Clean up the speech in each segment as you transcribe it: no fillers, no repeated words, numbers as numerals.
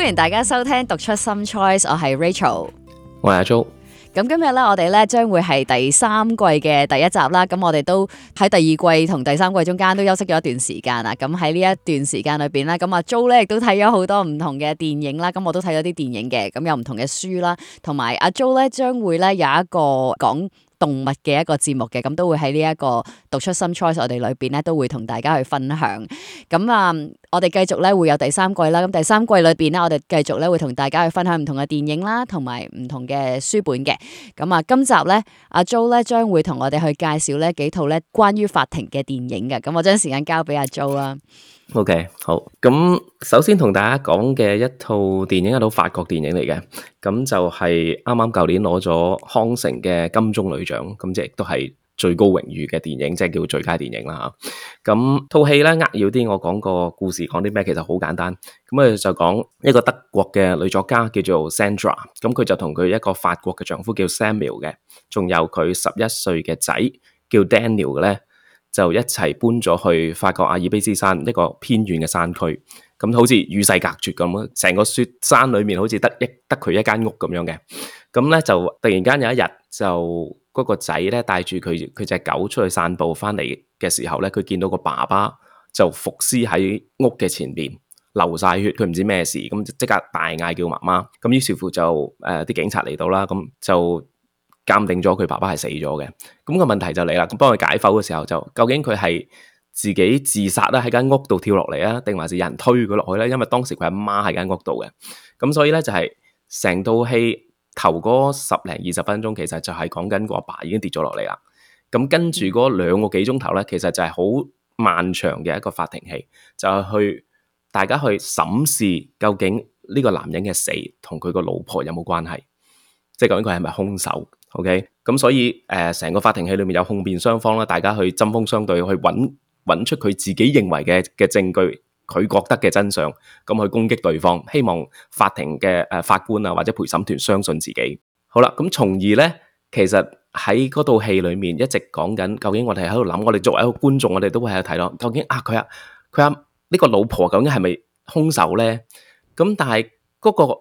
歡迎大家收聽讀出 Some Choice， 我係 Rachel， 我係阿 Jo。咁今日咧，我哋咧將會係第三季嘅第一集啦。咁我哋都喺第二季同第三季中間都休息咗一段時間啦。咁喺呢一段時間裏邊咧，咁阿 Jo 咧亦都睇咗好多唔同嘅電影啦。咁我都睇咗啲電影嘅，咁有唔同嘅書啦，同埋阿 Jo 咧將會咧有一個講動物嘅一個節目嘅，咁都會喺呢一個讀出 Some Choice 我哋裏邊咧都會同大家去分享。咁我哋繼續咧會有第三季啦。咁第三季裏邊咧，我哋繼續咧會同大家去分享唔同嘅電影啦，同埋唔同嘅書本嘅。咁今集咧，阿 Jo 咧將會同我哋去介紹咧幾套咧關於法庭嘅電影嘅。咁我將時間交俾阿 Jo 啦。OK， 好。咁首先同大家講嘅一套電影，一套法國電影嚟嘅，咁就係啱啱舊年攞咗康城嘅金棕櫚獎，咁即係亦都係最高榮譽嘅電影，即係叫最佳電影啦吓。咁套戲咧扼要啲，我講個故事講啲咩，其實好簡單。咁我哋就講一個德國嘅女作家叫做 Sandra， 咁佢就同佢一個法國嘅丈夫叫 Samuel 嘅，仲有佢11歲嘅仔叫 Daniel 嘅咧，就一齊搬咗去法國阿爾卑斯山一個偏遠嘅山區，咁好似與世隔絕咁咯。成個雪山裏面好似得佢一間屋咁樣嘅。咁咧就突然間有一日，就嗰個仔咧帶住佢隻狗出去散步翻嚟嘅時候咧，佢見到個爸爸就伏屍喺屋嘅前邊，流晒血，佢唔知咩事，咁即刻大嗌叫媽媽。咁於是乎就啲警察嚟到啦，咁就鑑定咗佢爸爸係死咗嘅。咁個問題就嚟啦，咁幫佢解剖嘅時候，就究竟佢係自己自殺啦，喺間屋度跳落嚟啊，定還是有人推佢落去咧？因為當時佢阿媽喺間屋度嘅。咁所以咧就係成套戲頭嗰10零20分鐘，其實就係講緊個阿爸已經跌咗落嚟啦。咁跟住嗰2個幾鐘頭咧，其實就係好漫長嘅一個法庭戲，就係去大家去審視究竟呢個男人嘅死同佢個老婆有冇關係，即係究竟佢係咪兇手。OK， 咁所以成個法庭戲裏面有控辯雙方啦，大家去針鋒相對，去揾出佢自己認為嘅證據，佢覺得嘅真相，咁去攻擊對方，希望法庭嘅法官啊或者陪審團相信自己。好啦，咁從而咧，其實喺嗰套戲裏面一直講緊，究竟我哋喺度諗，我哋作為一個觀眾，我哋都會喺度睇咯，究竟佢呢個老婆究竟係咪兇手咧？咁但係嗰個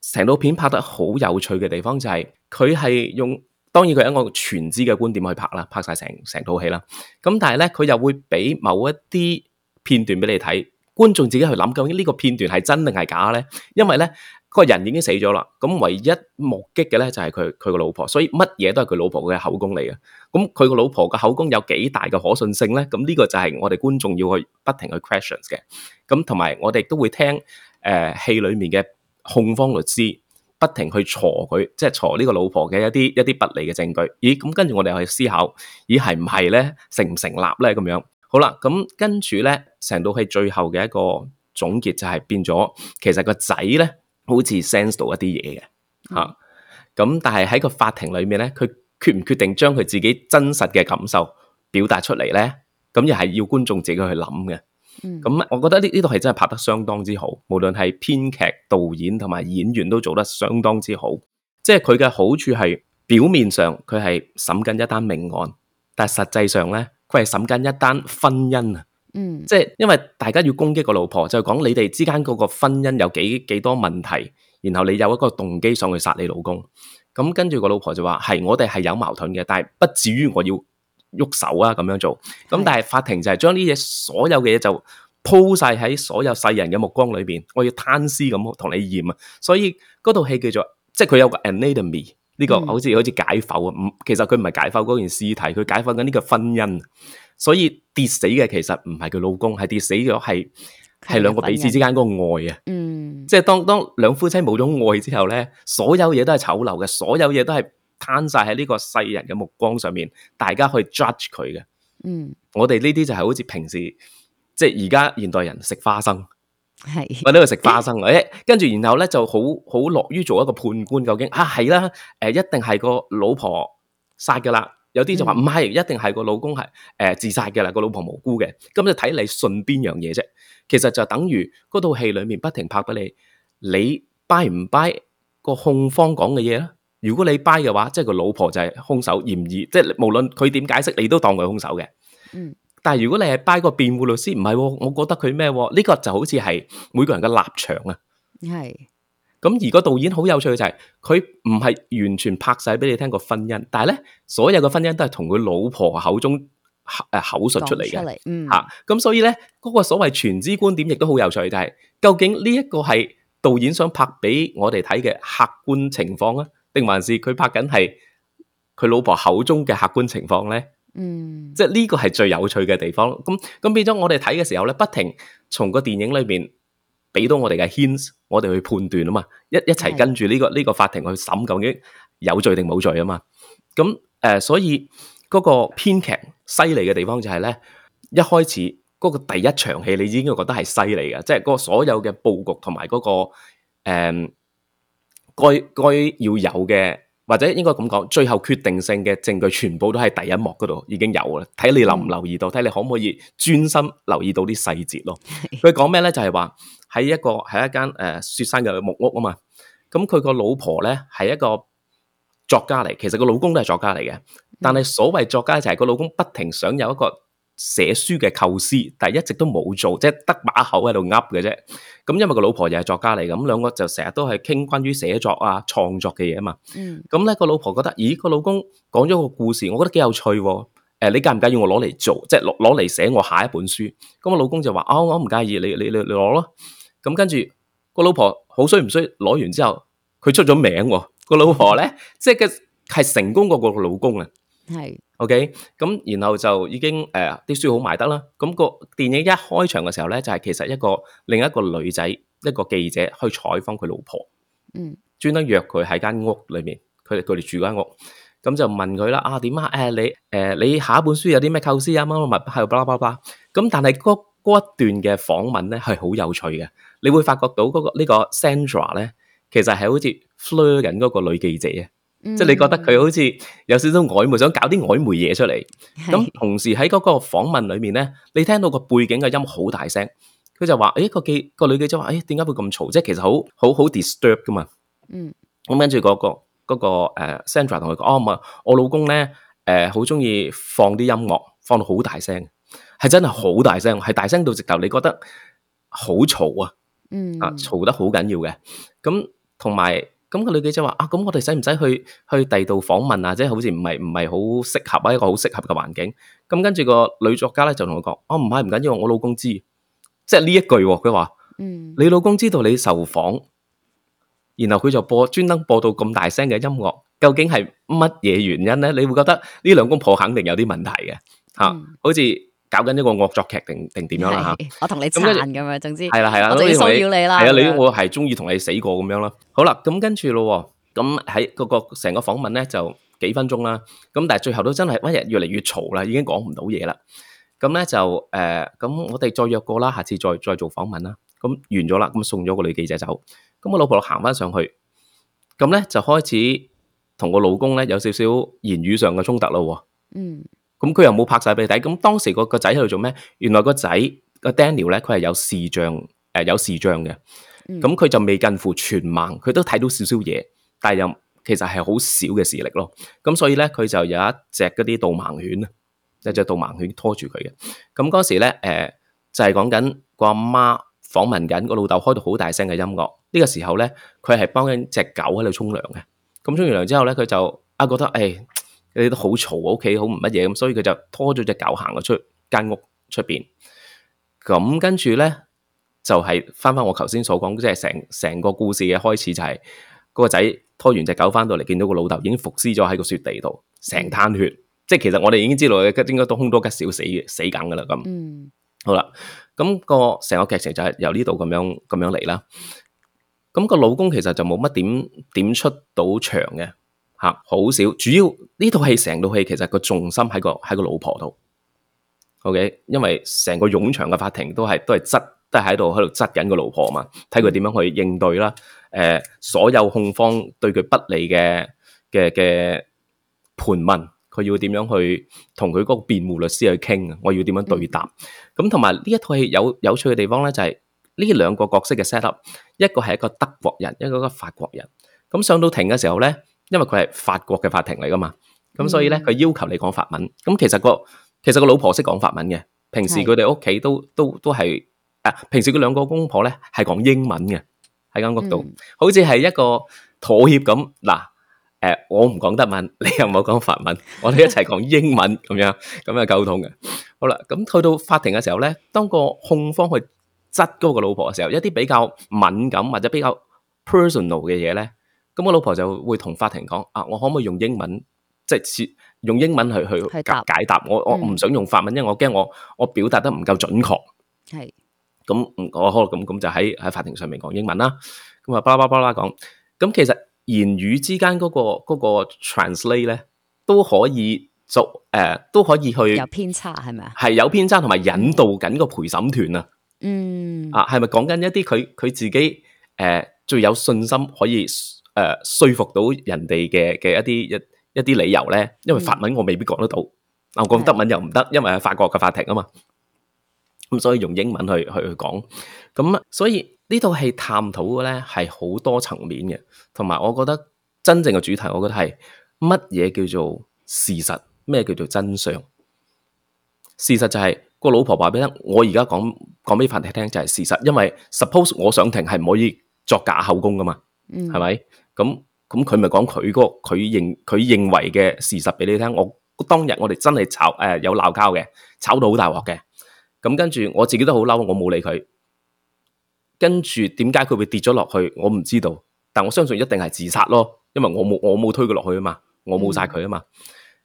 成套片拍得好有趣嘅地方就係佢係用，當然佢係一個全知嘅觀點去拍啦，拍晒成套戲啦。咁但係咧，佢又會俾某一啲片段俾你睇，觀眾自己去諗究竟呢個片段係真定係假咧？因為咧，個人已經死咗啦，咁唯一目擊嘅咧就係佢個老婆，所以乜嘢都係佢老婆嘅口供嚟嘅。咁佢個老婆嘅口供有幾大嘅可信性咧？咁呢個就係我哋觀眾要去不停去 questions 嘅。咁同埋我哋都會聽戲裏面嘅控方律師不停去鋤佢，即係鋤呢個老婆嘅一啲不利嘅證據。咦，咁跟住我哋去思考，咦係唔係咧？成唔成立咧？咁樣好啦，咁跟住咧，成套戲最後嘅一個總結就係變咗，其實個仔咧好似 sense 到一啲嘢嘅嚇。咁但係喺個法庭裏面咧，佢決唔決定將佢自己真實嘅感受表達出嚟咧？咁又係要觀眾自己去諗嘅。咁我覺得呢套戲真係拍得相當之好，無論係編劇、導演同埋演員都做得相當之好。即係佢嘅好處係表面上佢係審緊一單命案，但係實際上咧佢係審緊一單婚姻啊。即係因為大家要攻擊個老婆，就講你哋之間嗰個婚姻有幾多問題，然後你有一個動機上去殺你老公。咁跟住個老婆就話係我哋係有矛盾嘅，但係不至於我要喐手啊咁樣做。咁但係法庭就係將呢嘢所有嘅嘢就鋪晒喺所有世人嘅目光裏邊，我要攤屍咁同你驗啊。所以嗰套戲叫做，即係佢有個 anatomy 呢個好似解剖啊。其實佢唔係解剖嗰件屍體，佢解剖緊呢個婚姻。所以跌死嘅其實唔係佢老公，係跌死咗係兩個彼此之間嗰個愛啊。即係當兩夫妻冇咗愛之後咧，所有嘢都係醜陋嘅，所有嘢都係攤晒喺呢個世人嘅目光上面，大家去 judge 佢嘅。我哋呢啲就係好似平時即係而家現代人食花生，我呢度食花生，跟住然後咧就好樂於做一個判官，究竟係啦，一定係個老婆殺噶啦。有啲就話唔係，一定係個老公係自殺嘅啦，個老婆無辜嘅。咁就睇你信邊樣嘢啫。其實就等於嗰套戲裏面不停拍俾你 buy 唔 buy 個控方講嘅嘢咧？如果你 buy 嘅話，即係個老婆就係兇手嫌疑，即係無論佢點解釋，你都當佢兇手嘅。但係如果你係 buy 個辯護律師，唔係，我覺得佢咩？呢個就好似係每個人嘅立場啊。係咁而個導演好有趣嘅就係佢唔係完全拍晒俾你聽個婚姻，但係咧所有嘅婚姻都係同佢老婆口中口述出嚟嘅嚇。咁所以咧嗰個所謂全知觀點亦都好有趣，就係究竟呢一個係導演想拍俾我哋睇嘅客觀情況啊，定還是佢拍緊係佢老婆口中嘅客觀情況咧？即係呢個係最有趣嘅地方。咁變咗我哋睇嘅時候咧，不停從個電影裏邊俾到我哋嘅 hints，我哋去判斷啊嘛，一齊跟住呢個法庭去審究竟有罪定冇罪啊嘛。咁所以嗰個編劇犀利嘅地方就係咧，一開始嗰個第一場戲你已經覺得係犀利嘅，即係嗰個所有嘅佈局同埋嗰個該要有嘅，或者應該咁講，最後決定性嘅證據全部都喺第一幕嗰度已經有啦。睇你留唔留意到，睇你可唔可以專心留意到啲細節咯。佢講咩咧？就係話喺一間雪山嘅木屋啊嘛。咁佢個老婆咧係一個作家嚟，其實個老公都係作家嚟嘅。但係所謂作家就係個老公不停想有一個寫書嘅構思，但係一直都冇做，即係得把口喺度噏嘅啫。咁因為個老婆又係作家嚟，咁兩個就成日都係傾關於寫作啊、創作嘅嘢啊嘛。咁咧個老婆覺得，咦，個老公講咗個故事，我覺得幾有趣喎。你介唔介意我攞嚟做，即係攞嚟寫我下一本書？咁個老公就話：我唔介意，你攞咯。咁跟住個老婆好衰唔衰？攞完之後佢出咗名喎。個老婆咧，即係係成功過個老公啊。係 OK， 咁然後就已經啲書好賣得啦。咁個電影一開場嘅時候咧，就係其實另一個女仔，一個記者去採訪佢老婆，專登約佢喺間屋裏面，佢哋住間屋，咁就問佢啦，點啊？你下一本書有啲咩構思啊？乜乜乜喺度巴拉巴拉。咁但係嗰一段嘅訪問咧係好有趣嘅，你會發覺到呢個 Sandra 咧，其實係好似 flirt 緊嗰個女記者啊。即係你覺得佢好似有少少曖昧，想搞啲曖昧嘢出嚟。咁同時喺嗰個訪問裏面咧，你聽到個背景嘅音好大聲，佢就話：個女記者話，點解會咁嘈？即係其實好 disturb 噶嘛。咁跟住嗰個Sandra 同佢講：唔係，我老公咧好中意放啲音樂，放到好大聲，係真係好大聲，係大聲到直頭你覺得好嘈啊！嘈得好緊要嘅。咁同埋。咁個女記者話：咁我哋使唔使去第二度訪問啊？即係好似唔係好適合啊，一個好適合嘅環境。咁跟住個女作家咧就同佢講：唔緊要，我老公知。即係呢一句，佢話：你老公知道你受訪，然後佢就專登播到咁大聲嘅音樂，究竟係乜嘢原因咧？你會覺得呢兩公婆肯定有啲問題嘅嚇，好似搞緊一個惡作劇定點樣啦嚇？我同你撐咁樣，總之係啦，我就要騷擾你啦。係啊，我係中意同你死過咁樣啦。好啦，咁跟住咯，咁喺個成個訪問咧就幾分鐘啦。咁但係最後都真係越嚟越嘈啦，已經講唔到嘢啦。咁咧就咁我哋再約過啦，下次再做訪問啦。咁完咗啦，咁送咗個女記者走。咁我老婆行翻上去，咁咧就開始同個老公咧有少少言語上嘅衝突咯。咁佢又冇拍晒俾你睇。咁當時個仔喺度做咩？原來個仔個 Daniel 咧，佢係有視障嘅。咁佢就未近乎全盲，佢都睇到少少嘢，但係又其實係好少嘅視力咯。咁所以咧，佢就有一隻嗰啲導盲犬啊，一隻導盲犬拖住佢嘅。咁嗰時咧，就係講緊個阿媽訪問緊個老豆，開到好大聲嘅音樂。呢個時候咧，佢係幫緊隻狗喺度沖涼嘅。咁沖完涼之後咧，佢就覺得你都好嘈，屋企好唔乜嘢咁，所以佢就拖咗隻狗行咗出間屋出邊。咁跟住咧就係翻我頭先所講，即係成個故事嘅開始就係嗰個仔拖完隻狗翻到嚟，見到個老豆已經伏屍咗喺個雪地度，成灘血。即係其實我哋已經知道佢應該都凶多吉少死梗噶啦咁。好啦，咁個成個劇情就係由呢度咁樣嚟啦。咁個老公其實就冇乜點出到場嘅。好少，主要呢套戲成套戲其實個重心喺個老婆度，OK， 因為成個冗長嘅法庭都係喺度質緊個老婆嘛，睇佢點樣去應對啦。所有控方對佢不利嘅盤問，佢要點樣去同佢嗰個辯護律師去傾啊？我要點樣對答？咁同埋呢一套戲有趣嘅地方咧，就係呢兩個角色嘅 set up，一個係一個德國人，一個法國人。咁上到庭嘅時候咧。因為佢係法國嘅法庭嚟噶嘛，咁所以咧佢要求你講法文。咁其實個老婆識講法文嘅，平時佢哋屋企都係平時佢兩個公婆咧係講英文嘅喺間屋度，好似係一個妥協咁。嗱，我唔講德文，你又唔好講法文，我哋一齊講英文咁樣溝通嘅。好啦，咁去到法庭嘅時候咧，當個控方去質嗰個老婆嘅時候，一啲比較敏感或者比較 personal 嘅嘢咧，咁個老婆就會同法庭講：我可唔可以用英文，即係用英文去解答？我唔想用法文，因為我驚我表達得唔夠準確。係。咁我可能咁就喺法庭上面講英文啦。咁啊，巴拉巴拉講。咁其實言語之間嗰個 translate 咧，都可以都可以去有偏差係咪啊？係有偏差，同埋引導緊個陪審團啊。係咪講緊一啲佢自己最有信心可以說服到人哋嘅一啲理由咧？因為法文我未必講得到，我講德文又唔得，因為係法國嘅法庭啊嘛。咁所以用英文去講，咁所以呢套戲探討嘅咧係好多層面嘅，同埋我覺得真正嘅主題，我覺得係乜嘢叫做事實，咩叫做真相？事實就係個老婆話俾你聽，我而家講俾法庭聽就係事實，因為 suppose 我上庭係唔可以作假口供噶嘛，係咪？咁佢咪講佢認為嘅事實俾你聽。我當日我哋真係有鬧交嘅，吵到好大鑊嘅。咁跟住我自己都好嬲，我冇理佢。跟住點解佢會跌咗落去，我唔知道。但我相信一定係自殺咯，因為我冇推佢落去啊嘛，我冇殺佢啊嘛。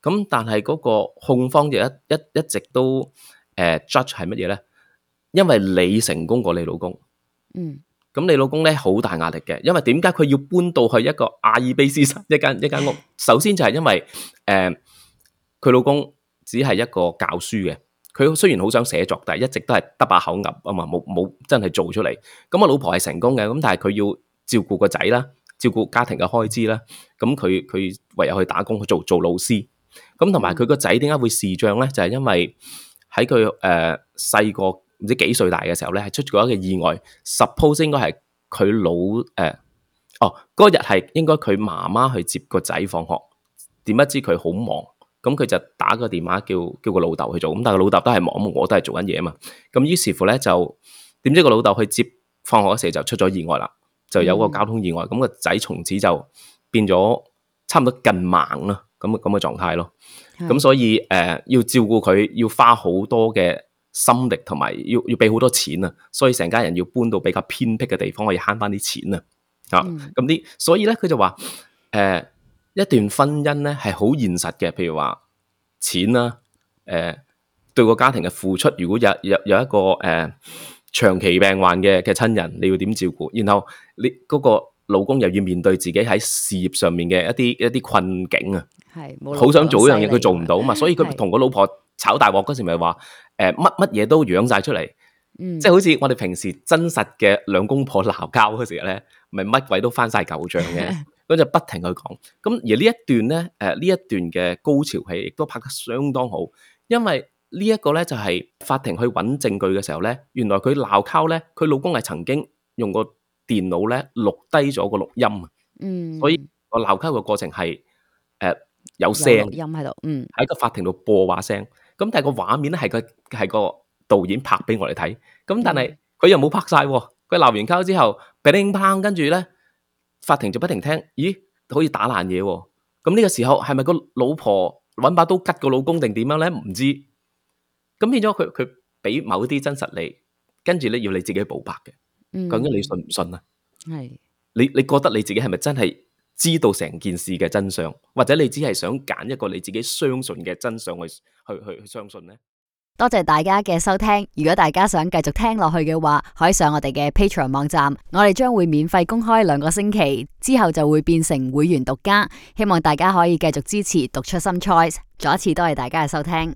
咁但係嗰個控方就一直都judge 係乜嘢咧？因為你成功過你老公。咁你老公咧好大壓力嘅，因為點解佢要搬到去一個阿爾卑斯山一間屋？首先就係因為佢老公只係一個教書嘅。佢雖然好想寫作，但係一直都係得把口噏啊嘛，冇真係做出嚟。咁我老婆係成功嘅，咁但係佢要照顧個仔啦，照顧家庭嘅開支啦。咁佢唯有去打工去做老師。咁同埋佢個仔點解會視障咧？就係因為喺佢細個唔知幾歲大嘅時候咧，係出咗一個意外。Suppose 應該係佢嗰日係應該佢媽媽去接個仔放學，點不知佢好忙。咁佢就打個電話叫個老豆去做，咁但係個老豆都係忙，我都係做緊嘢啊嘛。咁於是乎咧就點知個老豆去接放學嗰時就出咗意外啦，就有個交通意外，咁個仔從此就變咗差唔多近盲啦，咁嘅狀態咯。咁所以要照顧佢，要花好多嘅心力，同埋要俾好多錢啊，所以成家人要搬到比較偏僻嘅地方，可以慳翻啲錢啊。咁所以咧佢就話一段婚姻咧係好現實嘅，譬如話錢啦，對個家庭嘅付出，如果有一個長期病患嘅親人，你要點照顧？然後你嗰個老公又要面對自己喺事業上面嘅一啲困境啊，係好想做一樣嘢，佢做唔到嘛，所以佢同個老婆炒大鑊嗰時咪話乜嘢都養晒出嚟，即係好似我哋平時真實嘅兩公婆鬧交嗰時咧，咪乜鬼都翻晒舊賬嘅。咁就不停去講，咁而呢一段咧，呢一段嘅高潮戲亦都拍得相當好，因為呢一個咧就係法庭去揾證據嘅時候咧，原來佢鬧交咧，佢老公係曾經用個電腦咧錄低咗個錄音，所以個鬧交嘅過程係有聲音喺度，喺個法庭度播話聲，咁但係個畫面咧係個導演拍俾我哋睇，咁但係佢又冇拍晒，佢鬧完交之後，乒乓跟住咧。法庭就不停聽，咦，好似打爛嘢喎。咁呢個時候係咪個老婆揾把刀吉個老公定點樣咧？唔知。咁變咗佢俾某啲真實你，跟住咧要你自己補白嘅。究竟你信唔信啊？係。你覺得你自己係咪真係知道成件事嘅真相，或者你只係想揀一個你自己相信嘅真相去相信咧？多謝大家嘅收聽，如果大家想繼續聽落去嘅話，可以上我哋嘅 Patreon 網站，我哋將會免費公開2個星期，之後就會變成會員獨家，希望大家可以繼續支持讀出心 choice，再一次多謝大家嘅收聽。